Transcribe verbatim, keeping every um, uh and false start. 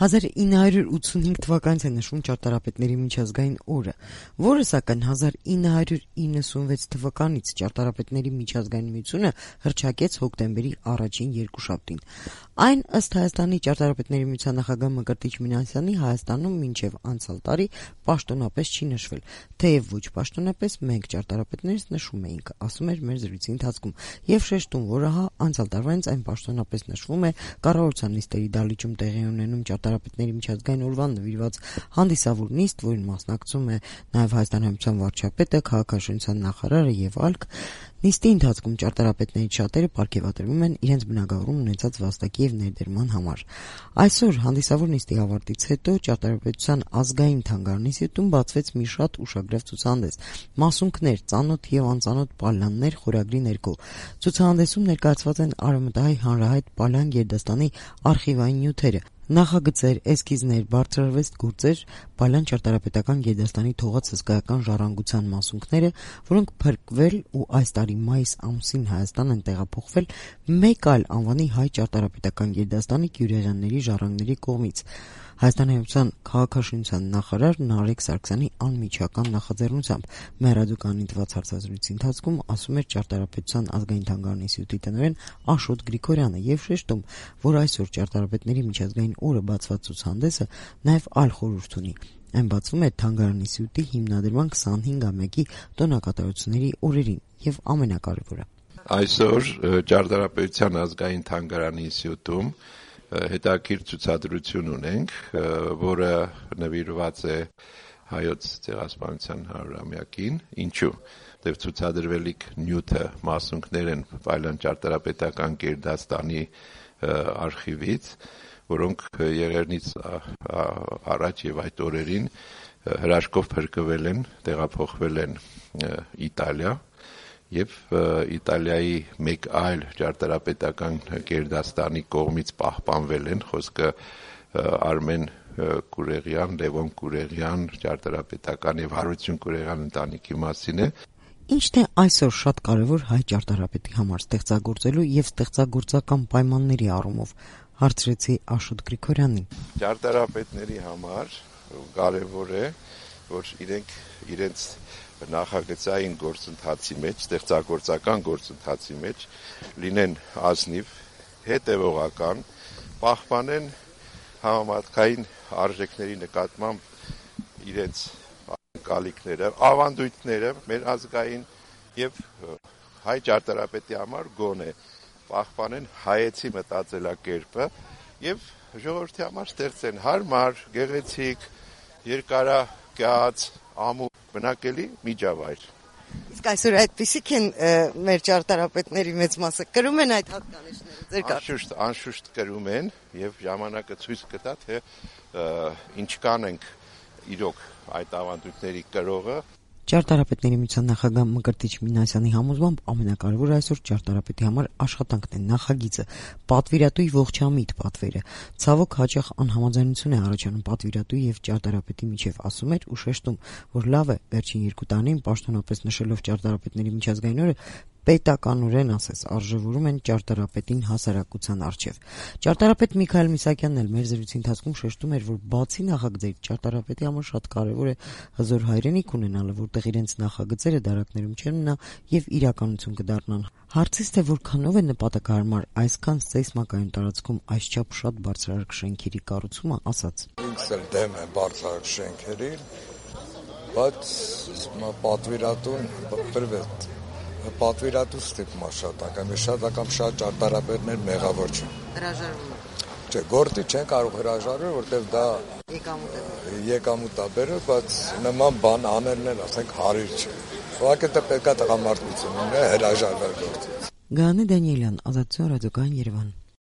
հազար ինը հարյուր ութսունհինգ թվականից է նշվում ճարտարապետների միջազգային օրը, որը սակայն հազար ինը հարյուր իննսունվեց թվականից ճարտարապետների միջազգային միությունը հռչակեց հոկտեմբերի առաջին երկուշաբթին։ Այն ըստ Հայաստանի ճարտարապետների միության նախագահ Մկրտիչ Մինասյանի Հայաստանում մինչև անցյալ տարի պաշտոնապես չի նշվել, թեև ոչ պաշտոնապես մենք ճարտարապետներս նշում էինք, ասում էր մեր զրույցի ընթացքում, եւ շեշտում, որ ահա անցյալ տարվանից այն պաշտոնապես նշվում է կառավարության նիստերի դահլիճում տեղի ունենում ճարտարապետների միջազգային օրվան նվիրված հանդիսավոր նիստ, որին մասնակցում է նաեւ Հայաստանի Հանրապետության վարչապետը, քաղաքաշինության նախարարը եւ այլք։ Նիստի ընթացքում ճարտարապետներից շատերը պարգևատրվում են իրենց բնագավառում ունեցած վաստակի եւ ներդրման համար։ Այսօր հանդիսավոր նիստի ավարտից հետո ճարտարապետության ազգային թանգարանինստիտուտում բացվեց մի շատ ուշագրավ ցուցահանդես՝ «Մասունքներ, ծանոթ եւ անծանոթ պալաններ» խորագրի ներքո։ Ցուցահանդեսում ներկայացված են արևմտահայ հանրահայտ պալան գերդաստանի արխիվային նյութերը, նախագծեր, էսքիզներ, բարձրարվեստ գործեր, պալան ճարտարապետական գերդաստանի թողած հսկայական ժառանգության մասունքները, որոնք փրկվել ու այս տարի մայիս ամսին Հայաստան են տեղափոխվել մեկ այլ անվանի հայ ճարտարապետական գերդաստանի Գյուրեղյանների ժառանգների կողմից։ Հայաստանի Հանրապետության քաղաքաշինության նախարար Նարեկ Սարգսյանի անմիջական նախաձեռնությամբ մեղրադուկանի տված հարցազրույցի ընթացքում ասում էր ճարտարապետության ազգային թանգարանի ինստիտուտի տնօրեն Աշոտ Գրիգորյանը եւ շեշտում, որ այսօր ճարտարապետների միջազգային օրը բացված ցուցահանդեսը նաեւ այլ խորհուրդ ունի։ Այն բացվում է թանգարանի ինստիտուտի հիմնադրման քսանհինգամյակի տոնակատարությունների օրերին եւ ամենակարևորը։ Այսօր ճարտարապետության ազգային թանգարանի ինստիտուտում հետաքրքիր ցուցադրություն ունենք, որը նվիրված է հայոց ցեղասպանության հարյուրամյակին։ Ինչու՞։ Դեռ ցուցադրվելիք նյութը մասունքներ են Պալան ճարտարապետական գերդաստանի արխիվից, որոնք եղեռնից առաջ եւ այդ օրերին հրաշքով փրկվել են, տեղափոխվել են Իտալիա եւ Իտալիայի մեկ այլ ճարտարապետական գերդաստանի կողմից պահպանվել են, խոսքը Արմեն Կուրեղյան, Լևոն Կուրեղյան ճարտարապետական եւ Հարություն Կուրեղյան ընտանիքի մասին է։ Ինչն է այսօր շատ կարևոր հայ ճարտարապետի համար ստեղծագործելու եւ ստեղծագործական պայմանների առումով, հարցրեցի Աշոտ Գրիգորյանին։ Ճարտարապետների համար կարևոր է, որ իրենք իրենց նախագծային գործընթացի մեջ, ստեղծագործական գործընթացի մեջ լինեն ազնիվ, հետևողական, պահպանեն համապատասխան արժեքների նկատմամբ իրենց ակալիքները, ավանդույթները մեր ազգային եւ հայ ճարտարապետի համար գոնե պահպանեն հայեցի մտածելակերպը եւ ժողովրդի համար ստեղծեն հարմար, գեղեցիկ, երկարակյաց, ամուր բնակելի միջավայր։ Իսկ այսօր այդպիսիք են մեր ճարտարապետների մեծ մասը կրում են այդ հատկանիշները ձեր կարգ։ Անշուշտ, անշուշտ կրում են եւ ժամանակը ցույց կտա, թե ինչքան ենք իրոք այդ ավանդույթների կրողը։ Ճարտարապետների միության նախագահ Մկրտիչ Մինասյանի համոզմամբ ամենակարևորը այսօր ճարտարապետի համար աշխատանքն է, նախագիծը, պատվիրատուի ողջամիտ պատվերը։ Ցավոք հաճախ անհամաձայնություն է առաջանում պատվիրատուի եւ ճարտարապետի միջև, ասում էր ու շեշտում, որ լավ է վերջին երկու տարիներին պաշտոնապես նշելով ճարտարապետների միջազգային օրը պետականորեն ասես արժևորում են ճարտարապետին հասարակության առջև։ Ճարտարապետ Միքայել Միսակյանն էլ մեր զրույցի ընթացքում շեշտում էր, որ բացի նախագծերի ճարտարապետի համար շատ կարևոր է հզոր հայրենիք ունենալը, որտեղ իրենց նախագծերը դարակներում չեն մնա եւ իրականություն կդառնան։ Հարցից թե որքանով է նպատակահարմար այսքան սեյսմակայուն տարածքում այսչափ շատ բարձրարկ շենքերի կառուցումը, ասաց. Ինքս էլ դեմ եմ բարձրարկ շենքերին, բայց պատվիրատուն բրվեց պատվիրատու ստիպումա շատ անգամ, շատ անգամ շատ ճարտարապետներ մեղավոր չեն։ Հրաժարվում։ Չէ, գործի չեն կարող հրաժարվել, որտեղ դա եկամուտ է բերել, բայց նման բան անելն էլ ասենք հարիր չէ։ Ուղղակի դա պետք է տղամարդություն ունենա հրաժարվել գործից։ Գաներ Դանիելյան, Ազատություն ռադիոկայան Երևան։